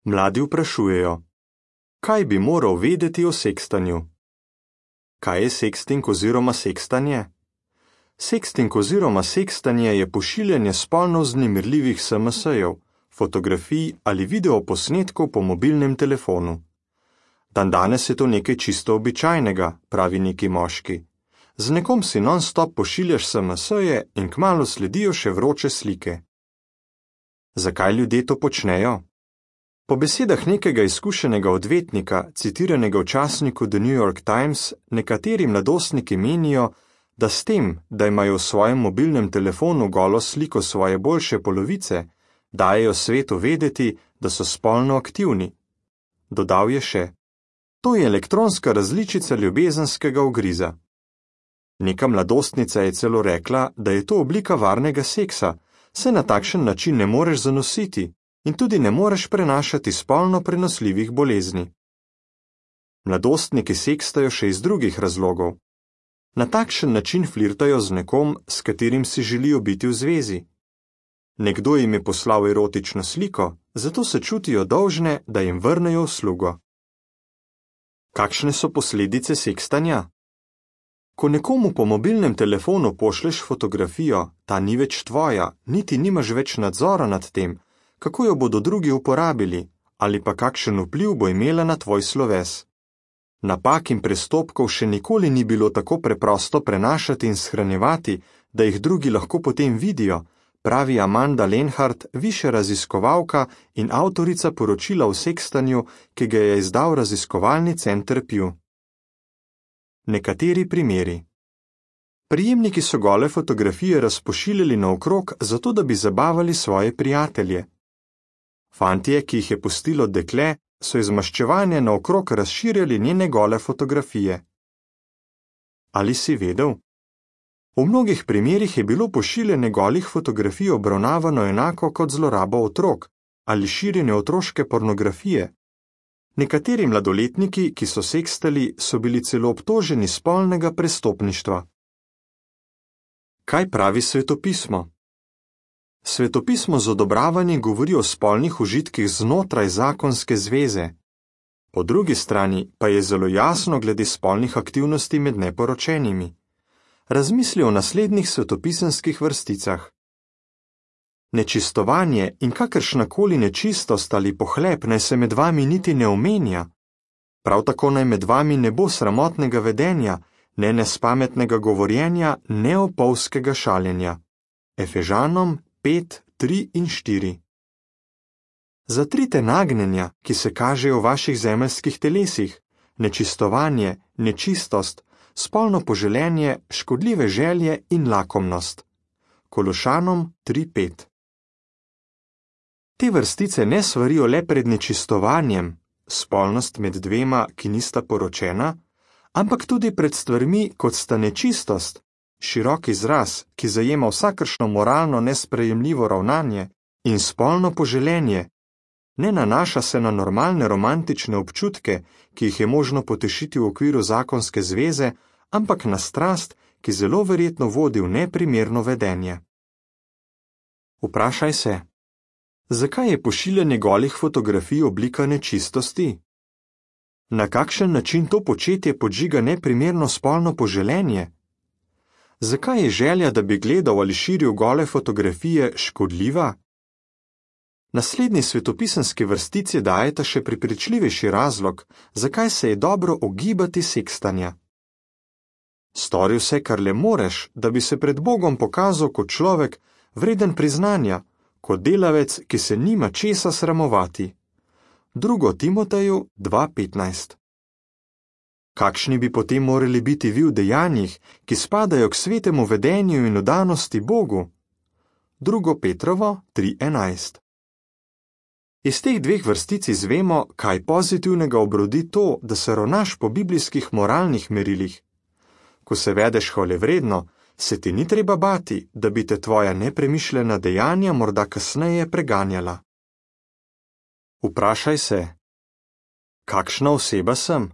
Mladi vprašujejo: kaj bi moral vedeti o sekstanju? Kaj je seksting oziroma sekstanje? Seksting oziroma sekstanje je pošiljanje spolno vznemirljivih SMS-jev, fotografij ali videoposnetkov po mobilnem telefonu. Dandanes je to nekaj čisto običajnega, pravi neki moški. Z nekom si non-stop pošiljaš SMS-je in kmalu sledijo še vroče slike. Zakaj ljudje to počnejo? Po besedah nekega izkušenega odvetnika, citiranega v časniku The New York Times, nekateri mladostniki menijo, da s tem, da imajo v svojem mobilnem telefonu golo sliko svoje boljše polovice, dajejo svetu vedeti, da so spolno aktivni. Dodal je še: to je elektronska različica ljubezenskega ugriza. Neka mladostnica je celo rekla, da je to oblika varnega seksa, saj na takšen način ne moreš zanositi in tudi ne moreš prenašati spolno prenosljivih bolezni. Mladostniki sekstajo še iz drugih razlogov. Na takšen način flirtajo z nekom, s katerim si želijo biti v zvezi. Nekdo jim je poslal erotično sliko, zato se čutijo dolžne, da jim vrnejo uslugo. Kakšne so posledice sekstanja? Ko nekomu po mobilnem telefonu pošleš fotografijo, ta ni več tvoja, niti nimaš več nadzora nad tem, kako jo bodo drugi uporabili, ali pa kakšen vpliv bo imela na tvoj sloves. Napak in prestopkov še nikoli ni bilo tako preprosto prenašati in shranjevati, da jih drugi lahko potem vidijo, pravi Amanda Lenhart, višja raziskovalka in avtorica poročila o sekstanju, ki ga je izdal raziskovalni center Pew. Nekateri primeri. Prijemniki so gole fotografije razpošiljali naokrog, zato da bi zabavali svoje prijatelje. Fantje, ki jih je pustilo dekle, so iz maščevanja naokrog razširjali njene gole fotografije. Ali si vedel? V mnogih primerih je bilo pošiljanje golih fotografij obravnavano enako kot zloraba otrok ali širjenje otroške pornografije. Nekateri mladoletniki, ki so sekstali, so bili celo obtoženi spolnega prestopništva. Kaj pravi svetopismo? Svetopismo z odobravanjem govori o spolnih užitkih znotraj zakonske zveze. Po drugi strani pa je zelo jasno glede spolnih aktivnosti med neporočenimi. Razmisli o naslednjih svetopisemskih vrsticah. Nečistovanje in kakršnakoli nečistost ali pohlep naj se med vami niti ne omenja. Prav tako naj med vami ne bo sramotnega vedenja, ne nespametnega govorjenja, ne opolskega šaljenja. Efežanom 5, 3 in 4. Zatrite nagnjenja, ki se kažejo v vaših zemeljskih telesih, nečistovanje, nečistost, spolno poželenje, škodljive želje in lakomnost. Kološanom 3:5. Te vrstice ne svarijo le pred nečistovanjem, spolnost med dvema, ki nista poročena, ampak tudi pred stvarmi, kot sta nečistost, širok izraz, ki zajema vsakršno moralno nesprejemljivo ravnanje, in spolno poželenje. Ne nanaša se na normalne romantične občutke, ki jih je možno potešiti v okviru zakonske zveze, ampak na strast, ki zelo verjetno vodi v neprimerno vedenje. Vprašaj se, zakaj je pošiljanje golih fotografij oblika nečistosti? Na kakšen način to početje podžiga neprimerno spolno poželenje? Zakaj je želja, da bi gledal ali širil gole fotografije, škodljiva? Naslednji svetopisemski vrstici dajeta še prepričljivejši razlog, zakaj se je dobro ogibati sekstanja. Stori vse, kar le moreš, da bi se pred Bogom pokazal kot človek, vreden priznanja, kot delavec, ki se nima česa sramovati. 2. Timoteju 2:15. Kakšni bi potem morali biti vi v dejanjih, ki spadajo k svetemu vedenju in vdanosti Bogu? 2. Petrovo 3:11. Iz teh dveh vrstic izvemo, kaj pozitivnega obrodi to, da se ravnaš po biblijskih moralnih merilih. Ko se vedeš hvalevredno, se ti ni treba bati, da bi te tvoja nepremišljena dejanja morda kasneje preganjala. Vprašaj se, kakšna oseba sem?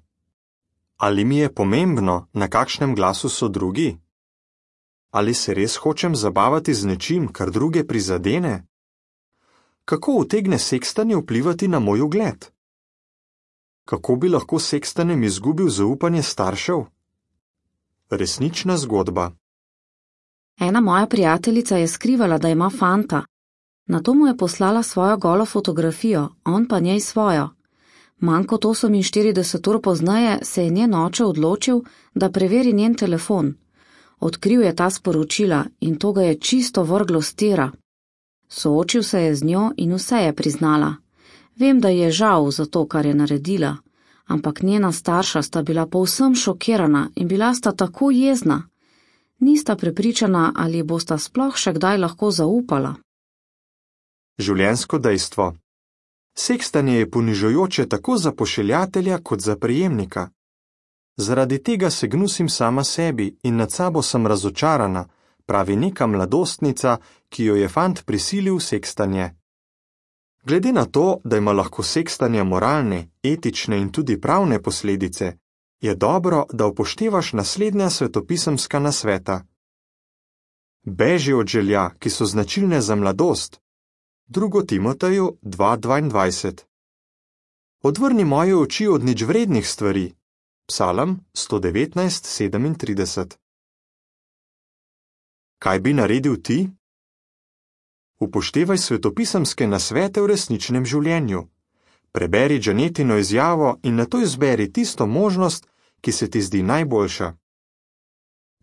Ali mi je pomembno, na kakšnem glasu so drugi? Ali se res hočem zabavati z nečim, kar druge prizadene? Kako utegne sekstanje vplivati na moj ugled? Kako bi lahko s sekstanjem izgubil zaupanje staršev? Resnična zgodba. Ena moja prijateljica je skrivala, da ima fanta. Nato mu je poslala svojo golo fotografijo, on pa njej svojo. Manj kot 48 ur pozneje se je njen oče odločil, da preveri njen telefon. Odkril je ta sporočila in to ga je čisto vrglo s tira. Soočil se je z njo in vse je priznala. Vem, da ji je žal za to, kar je naredila, ampak njena starša sta bila povsem šokirana in bila sta tako jezna. Nista prepričana, ali bosta sploh še kdaj lahko zaupala. Življenjsko dejstvo. Sekstanje je ponižujoče tako za pošiljatelja kot za prejemnika. Zaradi tega se gnusim sama sebi in nad sabo sem razočarana, pravi neka mladostnica, ki jo je fant prisilil v sekstanje. Glede na to, da ima lahko sekstanje moralne, etične in tudi pravne posledice, je dobro, da upoštevaš naslednja svetopisemska nasveta. Beži od želja, ki so značilne za mladost. 2. Timoteju 2:22. Odvrni moje oči od ničvrednih stvari. Psalm 119:37. Kaj bi naredil ti? Upoštevaj svetopisemske nasvete v resničnem življenju. Preberi Janetino izjavo in nato izberi tisto možnost, ki se ti zdi najboljša.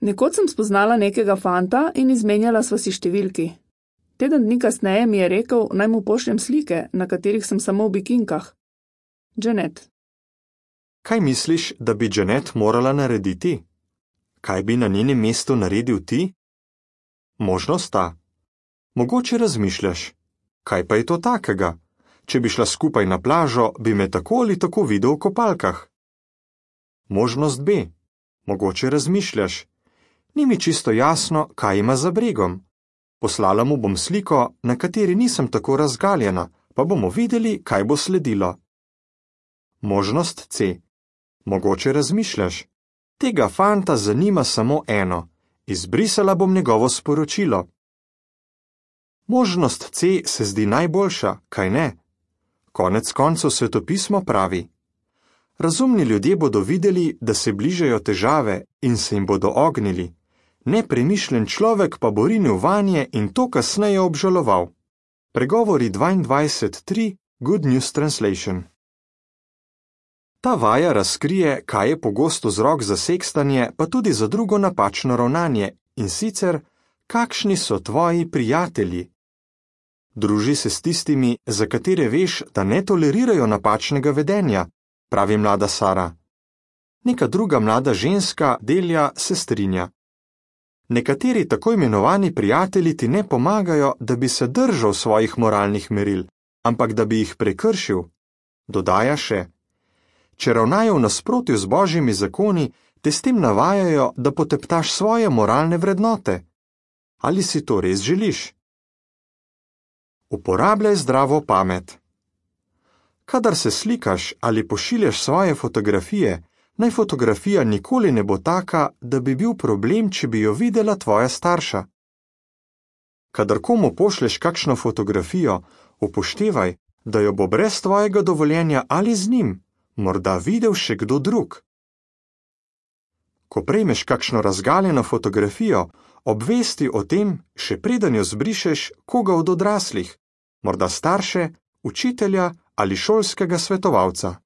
Nekoč sem spoznala nekega fanta in izmenjala sva si številki. Teden dni kasneje mi je rekel, naj mu pošljem slike, na katerih sem samo v bikinkah. Janet. Kaj misliš, da bi Janet morala narediti? Kaj bi na njenem mestu naredil ti? Možnost sta. Mogoče razmišljaš, kaj pa je to takega? Če bi šla skupaj na plažo, bi me tako ali tako videl v kopalkah. Možnost B. Mogoče razmišljaš, ni mi čisto jasno, kaj ima za bregom. Poslala mu bom sliko, na kateri nisem tako razgaljena, pa bomo videli, kaj bo sledilo. Možnost C. Mogoče razmišljaš, tega fanta zanima samo eno, izbrisala bom njegovo sporočilo. Možnost C se zdi najboljša, kaj ne? Konec koncev svetopismo pravi: razumni ljudje bodo videli, da se bližajo težave in se jim bodo ognili. Nepremišljen človek pa bo rinil vanje in to kasneje obžaloval. Pregovori 22:3, Good News Translation. Ta vaja razkrije, kaj je pogost vzrok za sekstanje, pa tudi za drugo napačno ravnanje, in sicer, kakšni so tvoji prijatelji. Druži se s tistimi, za katere veš, da ne tolerirajo napačnega vedenja, pravi mlada Sara. Neka druga mlada ženska, Delja, se strinja. Nekateri tako imenovani prijatelji ti ne pomagajo, da bi se držal svojih moralnih meril, ampak da bi jih prekršil. Dodaja še: če ravnajo v nasprotju z Božjimi zakoni, te s tem navajajo, da poteptaš svoje moralne vrednote. Ali si to res želiš? Uporabljaj zdravo pamet. Kadar se slikaš ali pošiljaš svoje fotografije, naj fotografija nikoli ne bo taka, da bi bil problem, če bi jo videla tvoja starša. Kadar komu pošleš kakšno fotografijo, upoštevaj, da jo bo brez tvojega dovoljenja ali z njim morda videl še kdo drug. Ko prejmeš kakšno razgaljeno fotografijo, obvesti o tem, še preden jo zbrišeš, koga od odraslih, morda starše, učitelja ali šolskega svetovalca.